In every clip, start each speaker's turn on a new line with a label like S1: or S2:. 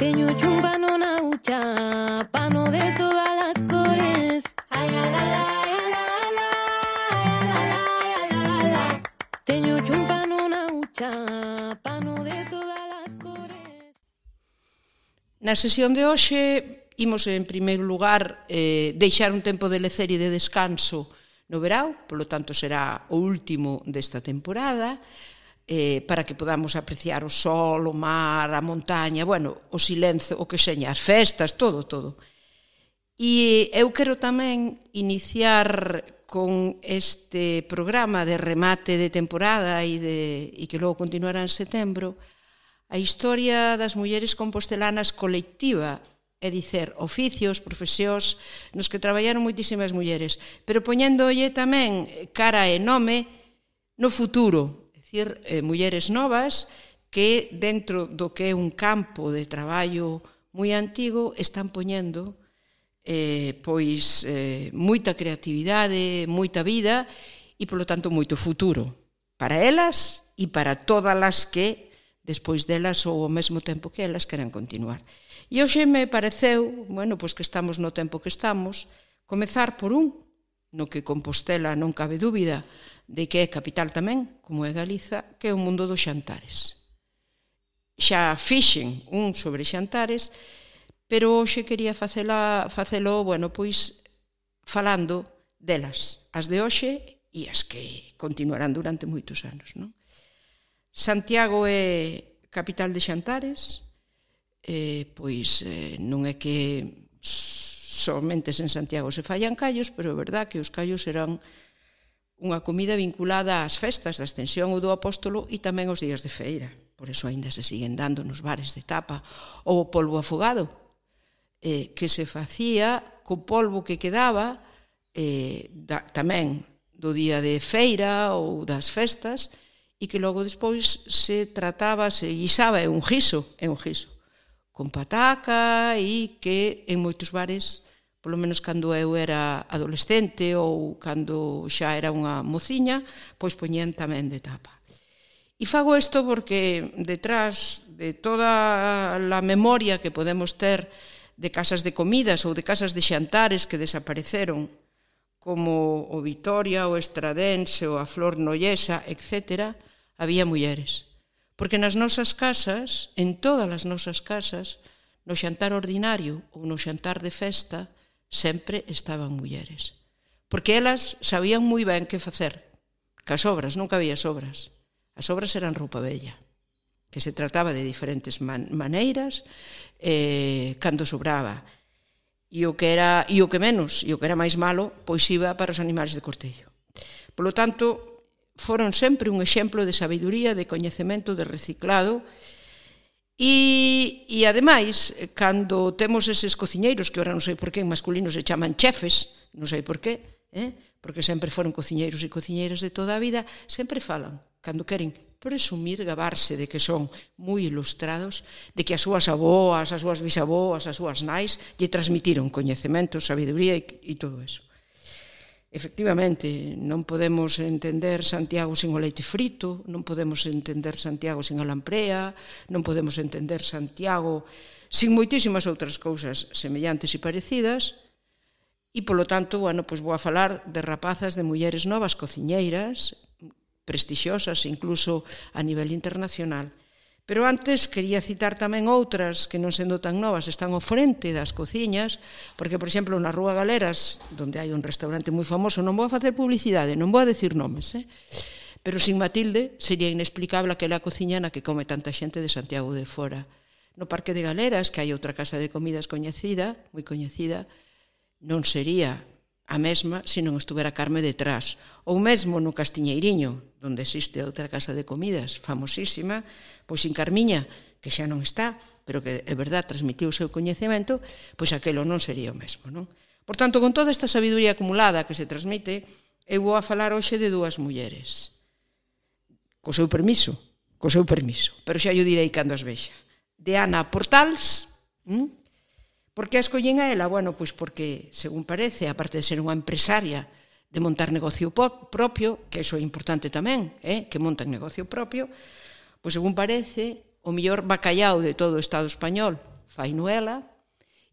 S1: Teño un pano na hucha, pano de todas las cores. Ay, la, la, la, la, la, la, la, la. Teño un pano na hucha, pano de todas las cores.
S2: Na sesión de hoxe imos, en primeiro lugar, deixar un tempo de lecer e de descanso no verao, polo tanto será o último desta temporada, para que podamos apreciar o sol, o mar, a montaña, bueno, o silencio, o que seña, as festas, todo. E eu quero tamén iniciar con este programa de remate de temporada e que logo continuará en setembro, a historia das mulleres compostelanas colectiva, é dicer, oficios, profesións, nos que traballaron moitísimas mulleres, pero poñéndolle tamén cara e nome no futuro, é dicir, mulleres novas que dentro do que é un campo de traballo moi antigo están poñendo moita creatividade, moita vida e, polo tanto, moito futuro para elas e para todas as que despois delas ou ao mesmo tempo que elas queren continuar. E hoxe me pareceu, bueno, pois que estamos no tempo que estamos, comezar por no que Compostela non cabe dúbida de que é capital tamén, como é Galiza, que é o mundo dos xantares. Xa fixen un sobre xantares, pero hoxe quería facelo, bueno, pois falando delas, as de hoxe e as que continuarán durante moitos anos, non? Santiago é capital de xantares, pois non é que somente en Santiago se fallan callos, pero é verdad que os callos serán unha comida vinculada ás festas da Ascensión ou do Apóstolo e tamén aos días de feira. Por eso aínda se siguen dando nos bares de tapa. Ou o polvo afogado, que se facía co polvo que quedaba tamén do día de feira ou das festas, e que logo despois se trataba, se guisaba, é un guiso, con pataca e que en moitos bares, polo menos cando eu era adolescente ou cando xa era unha mociña, pois poñían tamén de tapa. E fago isto porque detrás de toda a memoria que podemos ter de casas de comidas ou de casas de xantares que desapareceron, como o Vitoria, o Estradense, ou a Flor Nollesa, etc., había mulleres. Porque nas nosas casas, en todas as nosas casas, no xantar ordinario ou no xantar de festa, sempre estaban mulleres. Porque elas sabían moi ben que facer. Cas obras, nunca había sobras. As obras eran roupa vella, que se trataba de diferentes maneiras, cando sobraba. E o que era menos, e o que era máis malo, pois iba para os animais de cortello. Polo tanto, foron sempre un exemplo de sabiduría, de coñecemento, de reciclado, e ademais, cando temos eses cociñeiros, que ora non sei por que en masculino se chaman chefes, non sei por qué, porque sempre foron cociñeiros e cociñeiras de toda a vida, sempre falan, cando queren presumir, gabarse de que son moi ilustrados, de que as súas aboas, as súas bisaboas, as súas nais, lle transmitiron coñecemento, sabiduría e todo eso. Efectivamente, non podemos entender Santiago sin o leite frito, non podemos entender Santiago sin a lamprea, non podemos entender Santiago sin moitísimas outras cousas semellantes e parecidas, e, polo tanto, bueno, pois vou a falar de rapazas, de mulleres novas, cociñeiras, prestixiosas, incluso a nivel internacional. Pero antes quería citar tamén outras que non sendo tan novas están ao frente das cociñas, porque, por exemplo, na Rúa Galeras, onde hai un restaurante moi famoso, non vou a facer publicidade, non vou a decir nomes, pero sin Matilde sería inexplicable aquela cociña na que come tanta xente de Santiago de Fora. No Parque de Galeras, que hai outra casa de comidas coñecida, moi coñecida, non sería a mesma se non estuvera Carme detrás. Ou mesmo no Castiñeiriño, onde existe outra casa de comidas famosísima, pois sin Carmiña, que xa non está, pero que é verdad transmitiu o seu coñecemento, pois aquelo non sería o mesmo, non? Por tanto, con toda esta sabiduría acumulada que se transmite, eu vou a falar hoxe de dúas mulleres. Co seu permiso, pero xa yo direi cando as vexa. De Ana Portals. Por que a escollín a ela? Bueno, pois porque, según parece, aparte de ser unha empresaria de montar negocio propio, que iso é importante tamén, que montan negocio propio, pois según parece, o mellor bacallao de todo o Estado español fai Noela,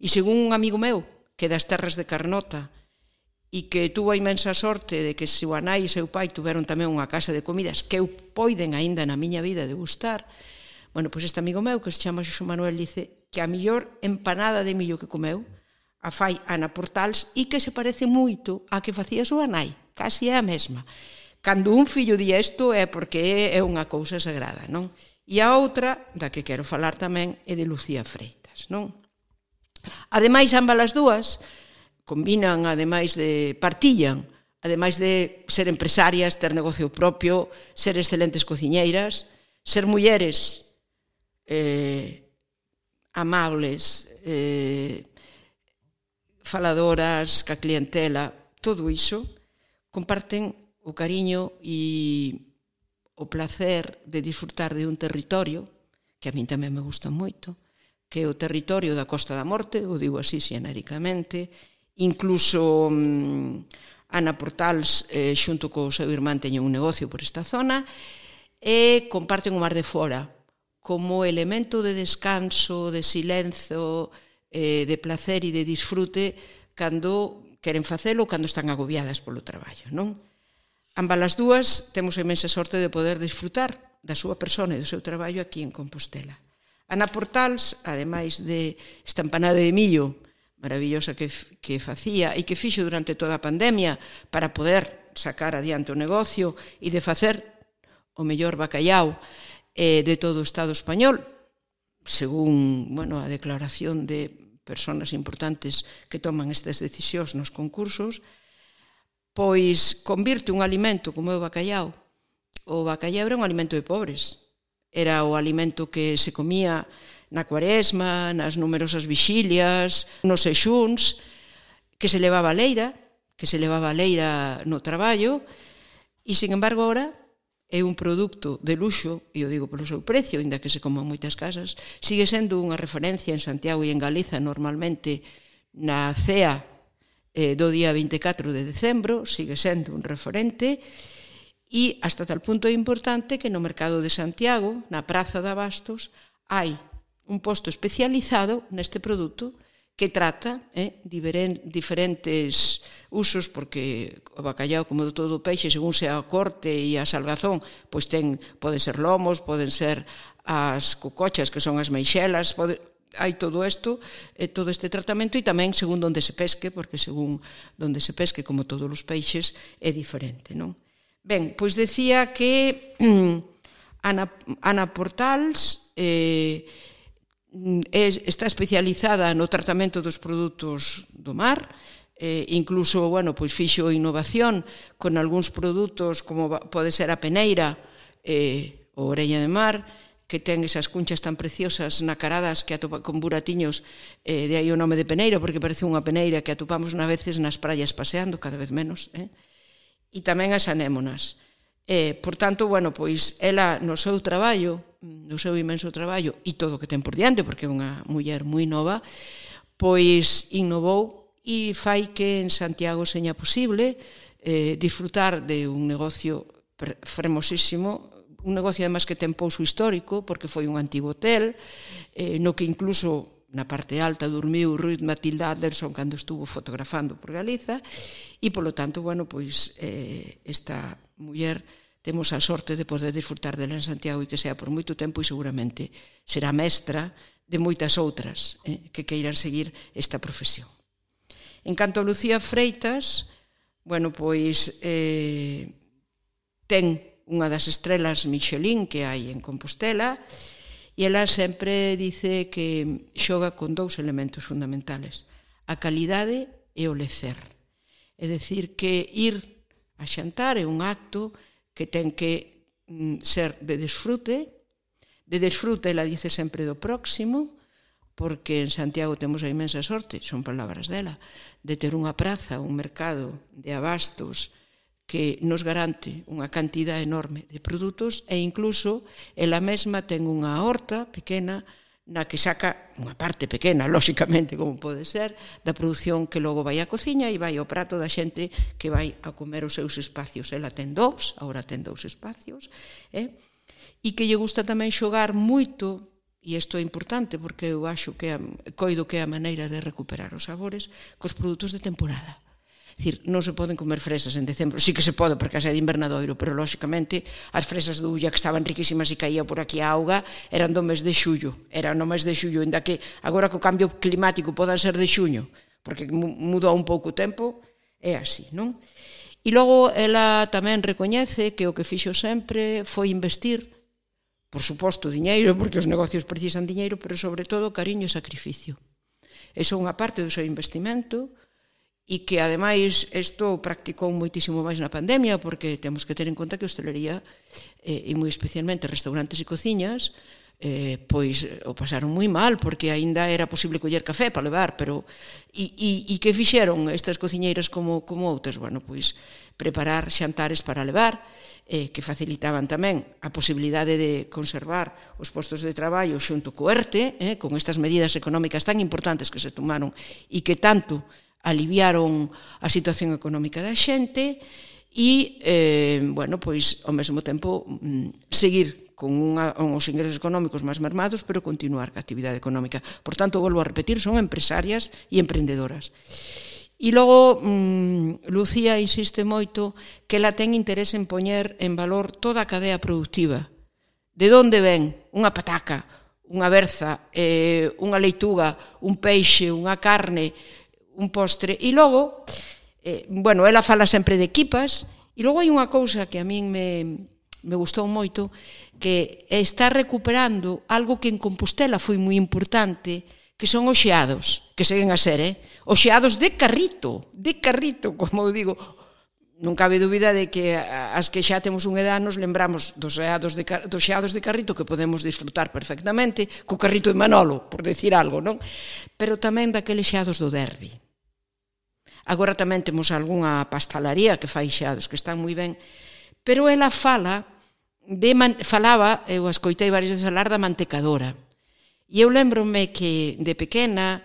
S2: e según un amigo meu, que é das terras de Carnota, e que tuvo a imensa sorte de que seu anai e seu pai tuveron tamén unha casa de comidas que eu poiden aínda na miña vida degustar. Bueno, pois este amigo meu, que se chama Xosé Manuel, dice que a millor empanada de millo que comeu a fai Ana Portals e que se parece moito a que facía a súa nai, casi é a mesma. Cando un fillo di isto é porque é unha cousa sagrada, non? E a outra, da que quero falar tamén, é de Lucía Freitas, non? Ademais, ambas as dúas combinan, ademais de partillan, ademais de ser empresarias, ter negocio propio, ser excelentes cociñeiras, ser mulleres amables, faladoras, ca clientela, todo iso, comparten o cariño e o placer de disfrutar de un territorio, que a min tamén me gusta moito, que é o territorio da Costa da Morte, o digo así xenéricamente. Incluso Ana Portals, xunto co seu irmán, teñen un negocio por esta zona, e comparten o Mar de Fora como elemento de descanso, de silencio, de placer e de disfrute cando queren facelo, cando están agobiadas polo traballo, non? Ambas as dúas temos a imensa sorte de poder disfrutar da súa persona e do seu traballo aquí en Compostela. Ana Portals, ademais de esta empanada de millo maravillosa que facía e que fixo durante toda a pandemia para poder sacar adiante o negocio e de facer o mellor bacallau de todo o Estado español, según a declaración de persoas importantes que toman estas decisións nos concursos, pois convirte un alimento como é o bacallau. O bacallau era un alimento de pobres. Era o alimento que se comía na Cuaresma, nas numerosas vixilias, nos xexúns, que se levaba a leira no traballo, e, sin embargo, agora é un produto de luxo, e o digo polo seu precio, ainda que se coma en moitas casas, sigue sendo unha referencia en Santiago e en Galiza, normalmente na cea do día 24 de decembro, sigue sendo un referente, e hasta tal punto é importante que no mercado de Santiago, na Praza de Abastos, hai un posto especializado neste produto que trata diferentes usos, porque o bacallau, como todo o peixe, según sea a corte e a salgazón, pois poden ser lomos, poden ser as cocochas, que son as meixelas, hai todo isto, todo este tratamento, e tamén según onde se pesque, porque según onde se pesque, como todos os peixes, é diferente, non? Ben, pois decía que Ana Portals está especializada no tratamento dos produtos do mar, incluso, pois fixo innovación con algúns produtos como pode ser a peneira ou orella de mar, que ten esas cunchas tan preciosas nacaradas que atopa con buratiños, de aí o nome de peneira, porque parece unha peneira que atopamos na veces nas praias paseando, cada vez menos, e tamén as anémonas. Por tanto, pois ela no seu traballo, no seu imenso traballo, e todo o que ten por diante, porque é unha muller moi nova, pois innovou e fai que en Santiago seña posible disfrutar de un negocio fermosísimo, un negocio además que ten pouso histórico, porque foi un antigo hotel, no que incluso na parte alta dormiu Ruth Matilda Anderson cando estuvo fotografando por Galiza, e polo tanto, pois esta muller temos a sorte de poder disfrutar dela en Santiago e que sea por moito tempo, e seguramente será mestra de moitas outras que queiran seguir esta profesión. En canto a Lucía Freitas, pois ten unha das estrelas Michelin que hai en Compostela, e ela sempre dice que xoga con dous elementos fundamentales: a calidade e o lecer. É dicir, que ir a xantar é un acto que ten que ser de disfrute. De disfrute, ela dice sempre do próximo, porque en Santiago temos a imensa sorte, son palabras dela, de ter unha praza, un mercado de abastos que nos garante unha cantidad enorme de produtos, e incluso ela mesma ten unha horta pequena na que saca unha parte pequena, lóxicamente, como pode ser, da produción que logo vai á cociña e vai ao prato da xente que vai a comer os seus espacios. Ela ten agora ten 2 espacios, e que lle gusta tamén xogar moito e isto é importante porque eu acho que coido que é a maneira de recuperar os sabores cos produtos de temporada. É dicir, non se poden comer fresas en decembro, sí que se pode porque é de invernadoiro, pero lóxicamente as fresas de Ulla que estaban riquísimas e caía por aquí a auga eran do mes de xullo, eran no mes de xullo, ainda que agora co cambio climático podan ser de xuño, porque mudou un pouco o tempo, é así, non? E logo ela tamén recoñece que o que fixo sempre foi investir, por suposto, diñeiro, porque os negocios precisan diñeiro, pero sobre todo cariño e sacrificio. Iso é unha parte do seu investimento e que, ademais, isto practicou moitísimo máis na pandemia, porque temos que ter en conta que a hostelería, e moi especialmente restaurantes e cociñas, pois o pasaron moi mal, porque aínda era posible coller café para levar, pero e que fixeron estas cociñeiras como outras? Bueno, pois preparar xantares para levar, que facilitaban tamén a posibilidade de conservar os postos de traballo xunto co ERTE, con estas medidas económicas tan importantes que se tomaron e que tanto aliviaron a situación económica da xente e, bueno, pois ao mesmo tempo seguir con os ingresos económicos máis mermados, pero continuar ca actividade económica. Por tanto, volvo a repetir, son empresarias e emprendedoras. E logo, Lucía insiste moito que ela ten interés en poñer en valor toda a cadea productiva. De onde ven unha pataca, unha berza, unha leituga, un peixe, unha carne, un postre. E logo, bueno, ela fala sempre de equipas, e logo hai unha cousa que a min me gustou moito, que está recuperando algo que en Compostela foi moi importante, que son os xeados, que seguen a ser, os xeados de carrito, como eu digo. Non cabe dúbida de que as que xa temos un edad nos lembramos dos xeados de carrito que podemos disfrutar perfectamente, co carrito de Manolo, por decir algo, non? Pero tamén daqueles xeados do Derbi. Agora tamén temos algunha pastalaría que fai xeados que están moi ben, pero ela falaba, eu a escoitei varias veces falar da mantecadora. E eu lembrome que de pequena,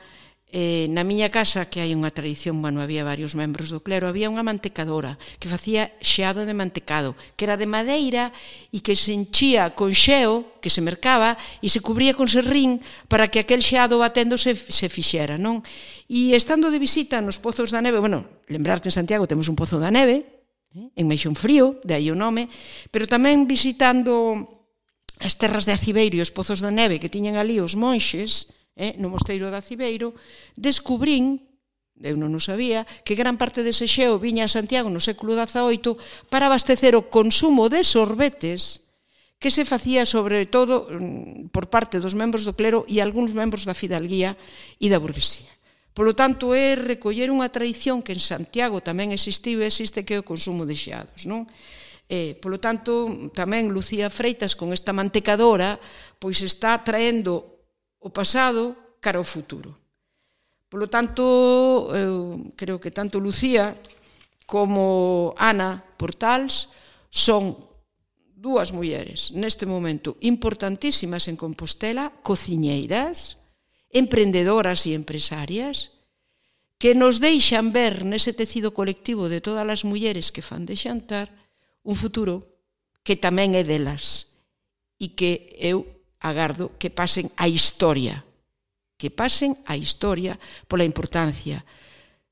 S2: na miña casa, que hai unha tradición, bueno, había varios membros do clero, había unha mantecadora que facía xeado de mantecado, que era de madeira e que se enchía con xeo, que se mercaba, e se cubría con serrín para que aquel xeado batendo se fixera, non? E estando de visita nos Pozos da Neve, bueno, lembrar que en Santiago temos un Pozo da Neve, en Meixón Frío, de aí o nome, pero tamén visitando as terras de Acibeiro e os Pozos da Neve que tiñan ali os monxes, no mosteiro de Acibeiro, descubrín, eu non o sabía, que gran parte dese xeo viña a Santiago no século XVIII para abastecer o consumo de sorbetes que se facía sobre todo por parte dos membros do clero e algúns membros da fidalguía e da burguesía. Polo tanto, é recoller unha tradición que en Santiago tamén existiu e existe, que é o consumo de xeados, non? Polo tanto, tamén Lucía Freitas, con esta mantecadora, pois está traendo o pasado cara ao futuro. Polo tanto, eu creo que tanto Lucía como Ana Portals son dúas mulleres neste momento importantísimas en Compostela, cociñeiras, emprendedoras e empresarias, que nos deixan ver nese tecido colectivo de todas as mulleres que fan de xantar un futuro que tamén é delas e que eu agardo que pasen a historia, pola importancia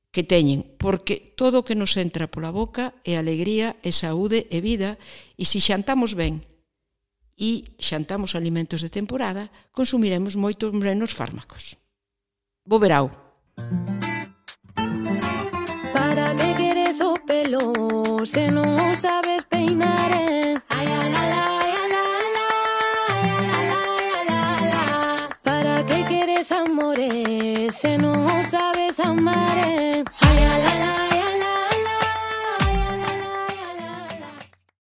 S2: que teñen, porque todo o que nos entra pola boca é alegría, é saúde, é vida, e se xantamos ben e xantamos alimentos de temporada, consumiremos moitos menos fármacos. Bo verao.
S1: ¿Para qué quieres o pelo se non o sabes peinar? Ay, la, la, la, la, la, la, la, la. ¿Para qué quieres amores se non o sabes amar?